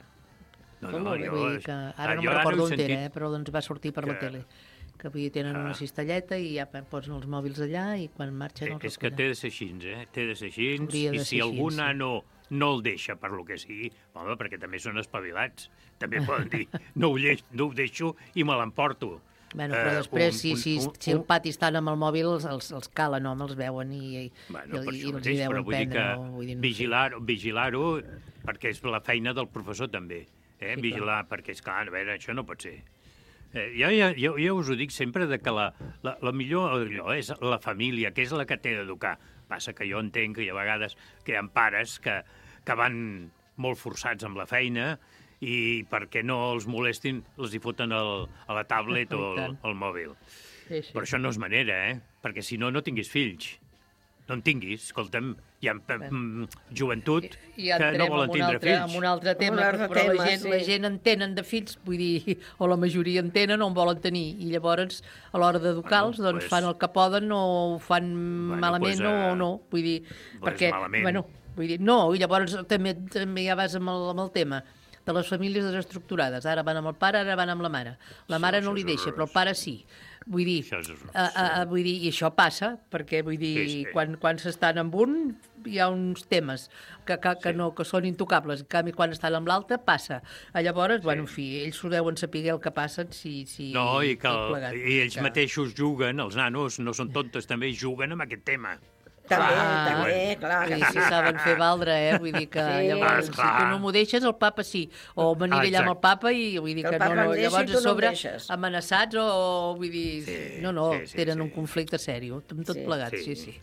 No, Vull dir que ara no me'n recordo on era, però doncs va sortir per la tele. que avui tenen una cistelleta i ja posen els mòbils allà i quan marxen els recullen. És que té de ser així, Té de ser així, i si algú nano no el deixa per lo que sigui, home, perquè també són espavilats. També poden dir, no ho deixo i me l'emporto. Bueno, però després, si el pati estan amb el mòbil, els calen, home, els veuen i els hi deuen prendre. Vigilar-ho, perquè és la feina del professor també. Vigilar, perquè, esclar, a veure, això no pot ser. Jo us ho dic sempre que la millor és la família, que és la que té d'educar. Passa que jo entenc que hi ha vegades que hi ha pares que van molt forçats amb la feina i perquè no els molestin els hi foten a la tablet o al mòbil. Però això no és manera, perquè si no, no tinguis fills. No en tinguis, escolta'm, hi ha joventut que no volen tindre fills. Amb un altre tema, però la gent entenen de fills, vull dir, o la majoria entenen o en volen tenir, i llavors a l'hora d'educar-los doncs fan el que poden o ho fan malament o no, vull dir, perquè, vull dir, no, i llavors també ja vas amb el tema de les famílies desestructurades. Ara van amb el pare, ara van amb la mare. La mare no li deixa, però el pare sí. Vull dir, i això passa, perquè vull dir, quan s'estan amb un hi ha uns temes que són intocables. En canvi, quan estan amb l'altre, passa. Llavors, bueno, en fi, ells s'ho deuen saber el que passen No, i ells mateixos juguen, els nanos no són tontos, també juguen amb aquest tema. També, clar. Si saben fer valdre, vull dir que llavors, si tu no m'ho deixes, el papa sí. O m'aniré allà amb el papa i vull dir que no, llavors a sobre amenaçats o vull dir... No, tenen un conflicte sèrio, amb tot plegat, sí.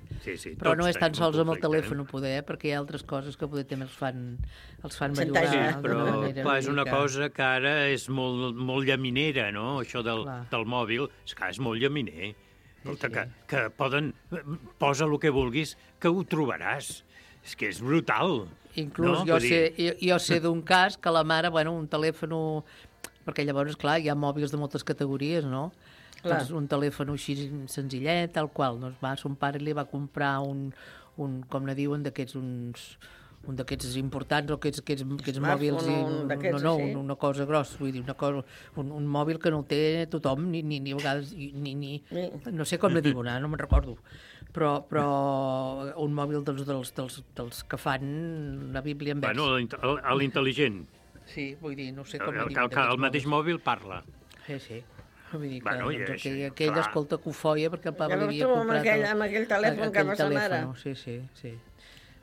Però no és tan sols amb el telèfon, poder, perquè hi ha altres coses que poder també els fan bellugar. Sí, però és una cosa que ara és molt llaminera, no? Això del mòbil, és molt llaminer. Que poden... Posa el que vulguis, que ho trobaràs. És que és brutal. Inclús jo sé d'un cas que la mare, un telèfon... Perquè llavors, clar, hi ha mòbils de moltes categories, no? Doncs un telèfon així senzillet, tal qual. Doncs son pare li va comprar un com ne diuen, d'aquests un d'aquests importants o aquests mòbils una cosa grossa, vull dir, un mòbil que no el té tothom ni a vegades no sé com ne diuen, no me'n recordo, però un mòbil dels que fan la Bíblia en vers. L'intel·ligent. Sí, vull dir, no sé com ne diuen. El mateix mòbil parla. Sí. Vull dir que aquell escolta cofoia perquè el papa li havia comprat amb aquell telèfon que va sa mare. Sí.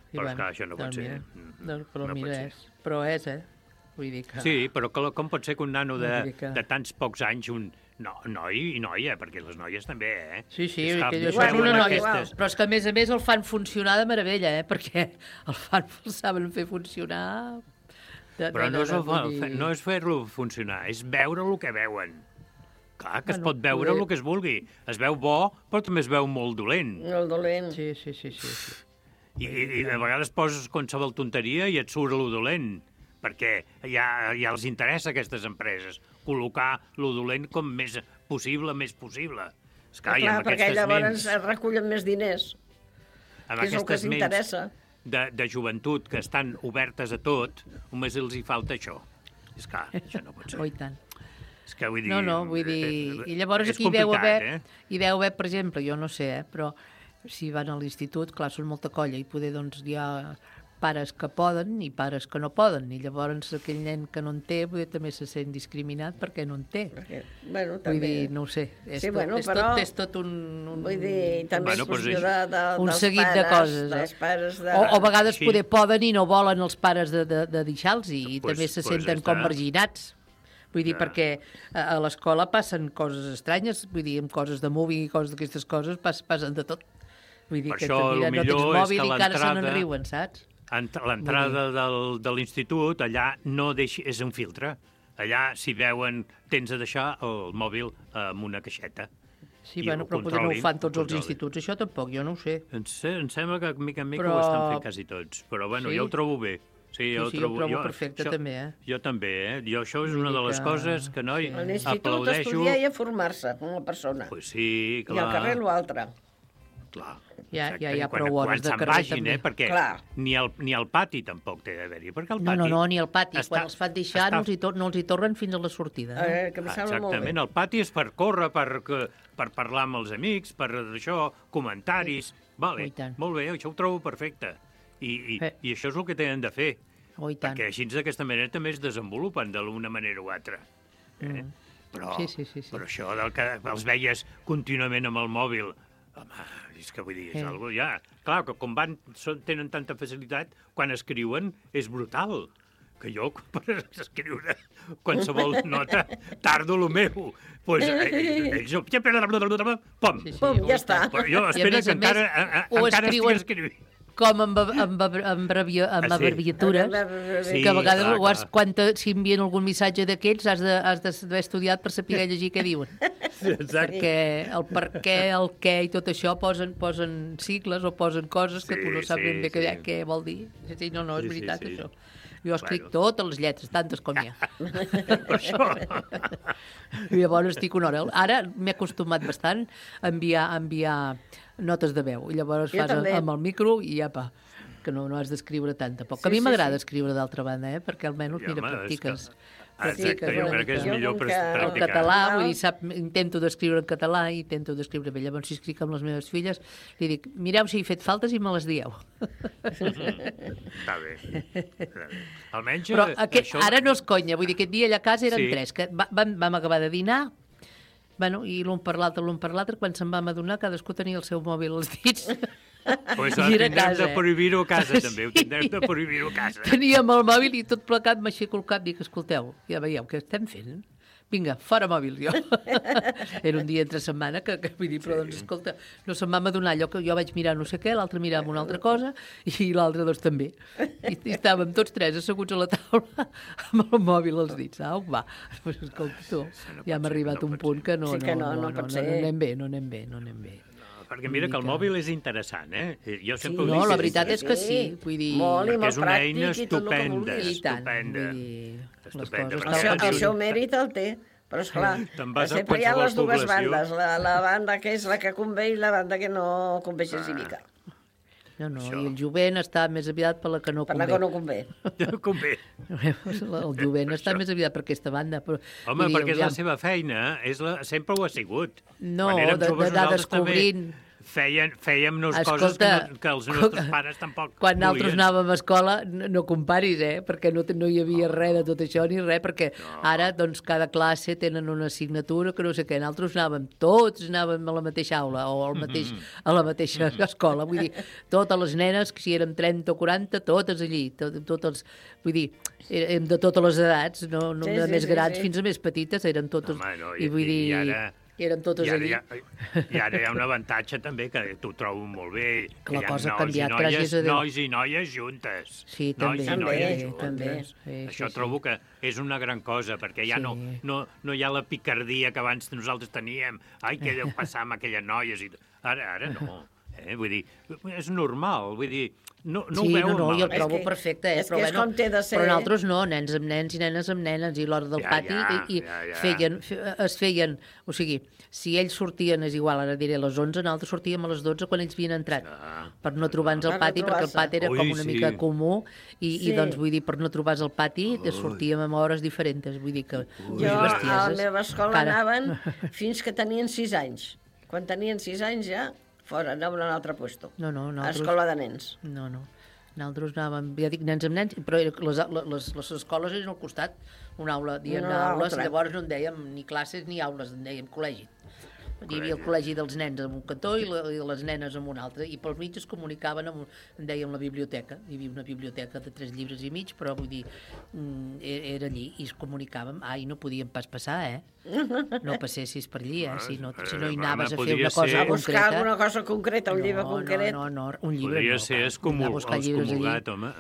Però esclar, això no pot ser. Però mira, però és, vull dir que... Sí, però com pot ser que un nano de tants pocs anys, un noi i noia, perquè les noies també, Sí, això és una noia, però és que a més el fan funcionar de meravella, perquè el saben fer funcionar... Però no és fer-lo funcionar, és veure el que veuen. Clar, que es pot veure el que es vulgui. Es veu bo, però també es veu molt dolent. Molt dolent. Sí. I a vegades poses qualsevol tonteria i et surt lo dolent, perquè ja els interessa a aquestes empreses col·locar lo dolent com més possible. Esclar, perquè llavors es recullen més diners, que és el que s'interessa. De joventut que estan obertes a tot, només els hi falta això. Esclar, això no pot ser. I tant. És que vull dir... No, vull dir... I llavors aquí hi deu haver, per exemple, jo no sé, però... Si van a l'institut, clar, són molta colla i poder, doncs, hi ha pares que poden i pares que no poden. I llavors aquell nen que no en té també se sent discriminat perquè no en té. Vull dir, no ho sé. És tot un... Vull dir, també és qüestió un seguit de coses, dels pares o a vegades poder poden i no volen els pares de deixar-los i també se senten com marginats. Vull dir, perquè a l'escola passen coses estranyes, vull dir, amb coses de moving i coses d'aquestes coses passen de tot. Vull dir que no tens mòbil i encara se n'enriuen, saps? L'entrada de l'institut, allà no és un filtre. Allà, si veuen, tens de deixar el mòbil amb una caixeta. Sí, però potser no ho fan tots els instituts. Això tampoc, jo no ho sé. Em sembla que mica en mica ho estan fent quasi tots. Però, jo ho trobo bé. Sí, jo ho trobo perfecte, també, Jo també, això és una de les coses que, noi, aplaudeixo. A l'institut estudiar i a formar-se com a persona. Pues sí, clar. I al carrer l'altre. Clar. Ja hi ha quan, prou hores de quan se'n carrer, vagin, també. perquè ni al pati tampoc té d'haver-hi, perquè el pati... No, ni al pati. Quan els fan deixar no els hi tornen fins a la sortida. Que em sembla molt bé. Exactament, el pati és per córrer, per parlar amb els amics, per això, comentaris... Vale, molt bé, això ho trobo perfecte. I això és el que tenen de fer. Perquè així d'aquesta manera també es desenvolupen d'alguna manera o altra. Però això del que els veies contínuament amb el mòbil, home, és que vull dir, és algo ja... Clar, que com tenen tanta facilitat, quan escriuen és brutal. Que jo, per escriure qualsevol nota, tardo el meu. Doncs ells... Pum, ja està. Jo espero que encara estigui escrivint. Com amb abreviatures, que a vegades si envien algun missatge d'aquests has d'haver estudiat per saber llegir què diuen. Perquè el per què, el què i tot això posen sigles o posen coses que tu no saps ben bé què vol dir. Sí, no, és veritat, això. Jo escric totes les lletres, tantes com hi ha. Per això. I llavors estic una hora. Ara m'he acostumat bastant a enviar notes de veu. I llavors fas amb el micro i apa, que no has d'escriure tant, tampoc. A mi m'agrada escriure d'altra banda, perquè almenys, mira, practiques. Exacte, jo crec que és millor practicar. El català, vull dir, intento d'escriure en català i intento d'escriure bé. Llavors, si escric amb les meves filles, li dic, mireu si he fet faltes i me les dieu. Està bé. Almenys... Però ara no és conya, vull dir, aquest dia allà a casa eren 3, que vam acabar de dinar, i l'un per l'altre, quan se'n vam adonar, cadascú tenia el seu mòbil als dits. Pues tindrem de prohibir-ho a casa, també. Ho tindrem de prohibir-ho a casa. Teníem el mòbil i tot plecat m'aixeco el cap i dic, escolteu, ja veieu què estem fent? Vinga, fora mòbil, jo. Era un dia entre setmana que vull dir, però doncs, escolta, no se'm va adonar allò que jo vaig mirar no sé què, l'altre mirava una altra cosa i l'altre doncs també. I estàvem tots 3 asseguts a la taula amb el mòbil als dits. Au, va. Pues, escolta, tu, ja hem arribat a un punt que no anem bé. Perquè mira que el mòbil és interessant, Jo sempre ho dic. No, la veritat és que sí. Vull dir... Molt és una eina estupenda. El seu mèrit el té. Però, esclar, sempre hi ha les dues bandes. La banda que és la que convé i la banda que no convé gens i mica. No, i el jovent està més aviat per la que no convé. Per la que no convé. Convé. El jovent està més aviat per aquesta banda. Home, perquè és la seva feina, sempre ho ha sigut. No, d'anar descobrint... Fèiem-nos coses que els nostres pares tampoc quan nosaltres anàvem a escola, no comparis, perquè no hi havia res de tot això ni res, perquè ara doncs cada classe tenen una assignatura que no sé què, nosaltres tots anàvem a la mateixa aula o a la mateixa escola, vull dir, totes les nenes, si eren 30 o 40, totes allí, totes, vull dir, de totes les edats, no de més grans fins a més petites, eren totes, i vull dir... eren totes allí. I ara hi ha un avantatge també, que t'ho trobo molt bé, que la cosa ha canviat, gràcies a Déu. Nois i noies juntes. Sí, també. Això trobo que és una gran cosa, perquè ja no hi ha la picardia que abans nosaltres teníem. Ai, què deu passar amb aquelles noies? Ara no. Vull dir, és normal, vull dir, no ho veuen mal. Jo ho trobo perfecte, però nosaltres no, nens amb nens i nenes amb nenes, i l'hora del pati es feien, o sigui, si ells sortien, és igual, ara diré a les 11, nosaltres sortíem a les 12 quan ells havien entrat, per no trobar-nos al pati, perquè el pati era com una mica comú, i doncs vull dir, per no trobar-nos al pati, sortíem a hores diferents, vull dir que... Jo a la meva escola anaven fins que tenien 6 anys. Quan tenien 6 anys ja... fora, anaven a un altre puesto. No, a escola de nens. No. Nosaltres anàvem, ja dic, nens amb nens, però les escoles eren al costat, una aula, dient aules, llavors no en dèiem ni classes ni aules, en dèiem col·legi. Hi havia el col·legi dels nens en un cantó i les nenes en un altre, i pel mig es comunicaven en dèiem la biblioteca. Hi havia una biblioteca de 3 llibres i mig, però vull dir, era allí, i es comunicàvem. I no podíem pas passar, no passessis per allí, si no hi anaves a fer una cosa concreta. A buscar alguna cosa concreta, un llibre concret. No, un llibre no. Podria ser excomulgat, home.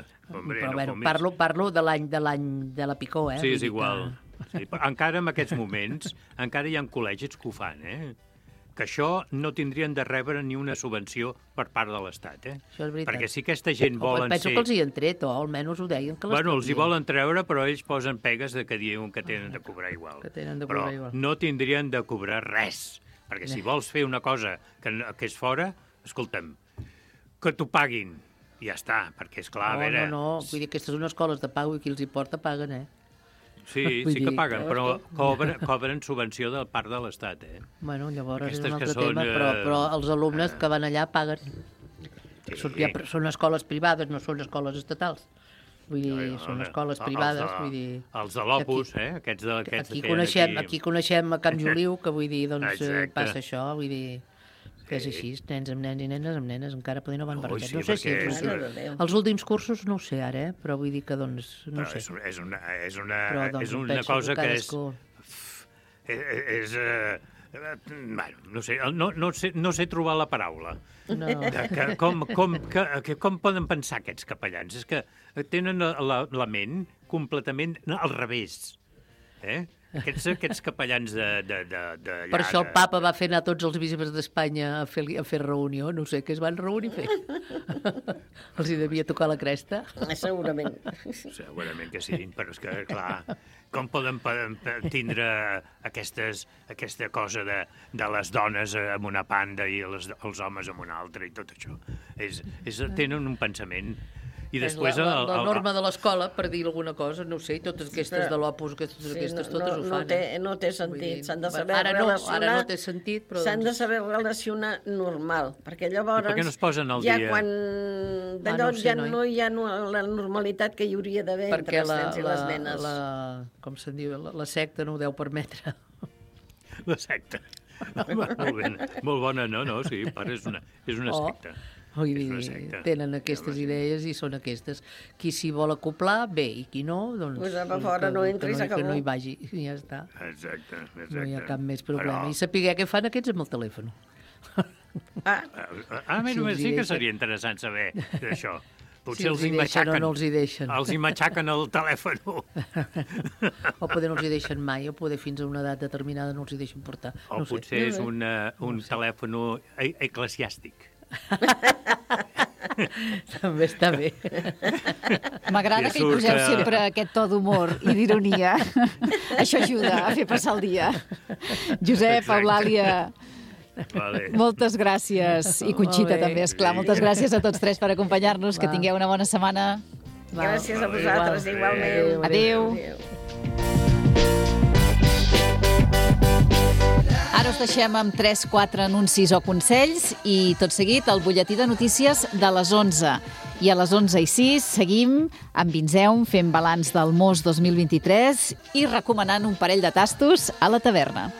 Però parlo de l'any de la picor, Sí, és igual. Encara en aquests moments, encara hi ha col·legis que ho fan, que això no tindrien de rebre ni una subvenció per part de l'Estat, Això és veritat. Perquè si aquesta gent volen ser... Penso que els hi han tret, o almenys ho deien que els hi volen treure, però ells posen pegues que diuen que tenen de cobrar igual. Però no tindrien de cobrar res, perquè si vols fer una cosa que és fora, escolta'm, que t'ho paguin. I ja està, perquè, esclar, a veure... No, vull dir, aquestes són escoles de pago i qui els hi porta paguen, Sí que paguen, però cobren subvenció de part de l'Estat, Bueno, llavors és un altre tema, però els alumnes que van allà paguen. Són escoles privades, no són escoles estatals. Vull dir, són escoles privades, vull dir... Els de l'Opus, aquests Aquí coneixem a Can Juliu, que vull dir, doncs passa això, vull dir... que és així, nens amb nens i nenes amb nenes, encara poder no van barrejats. No sé si els últims cursos no ho sé ara, però vull dir que, doncs, no sé. És una cosa que és... Bueno, no sé trobar la paraula. Com poden pensar aquests capellans? És que tenen la ment completament al revés. Aquests capellans d'allà... Per això el papa va fer anar tots els bisbes d'Espanya a fer reunió, no sé què es van reunir a fer. Els hi devia tocar la cresta. Segurament. Segurament que sí, però és que, clar, com poden tindre aquesta cosa de les dones amb una banda i els homes amb una altra i tot això? Tenen un pensament... I després la norma de l'escola, per dir alguna cosa, no ho sé, totes aquestes de l'Opus, aquestes totes ho fan. No té sentit, s'han de saber relacionar... Ara no té sentit, però... S'han de saber relacionar normal, perquè llavors... I per què no es posen al dia? Ja quan d'allò ja no hi ha la normalitat que hi hauria d'haver entre els nens i les nenes. Com se'n diu, la secta no ho deu permetre. La secta. Molt bona, no, sí, és una secta. Vull dir, tenen aquestes idees i són aquestes. Qui s'hi vol acoplar, bé, i qui no, doncs... Pues a fora no entris, que no hi vagi, i ja està. Exacte. No hi ha cap més problema. I saber què fan aquests amb el telèfon. Només sí que seria interessant saber d'això. Potser els hi matxaquen o no els hi deixen. Els hi matxaquen el telèfon. O poder no els hi deixen mai, o poder fins a una edat determinada no els hi deixen portar. O potser és un telèfon eclesiàstic. També està bé. M'agrada que hi poseu sempre aquest to d'humor i d'ironia. Això ajuda a fer passar el dia. Josep, Eulàlia, moltes gràcies. I Conxita també, esclar. Moltes gràcies a tots tres per acompanyar-nos. Que tingueu una bona setmana. Gràcies a vosaltres, igualment. Adéu. Ara us deixem amb 3-4 anuncis o consells i tot seguit el butlletí de notícies de les 11. I a les 11:06 seguim amb Vinzeum fent balanç del Mos 2023 i recomanant un parell de tastos a la taverna.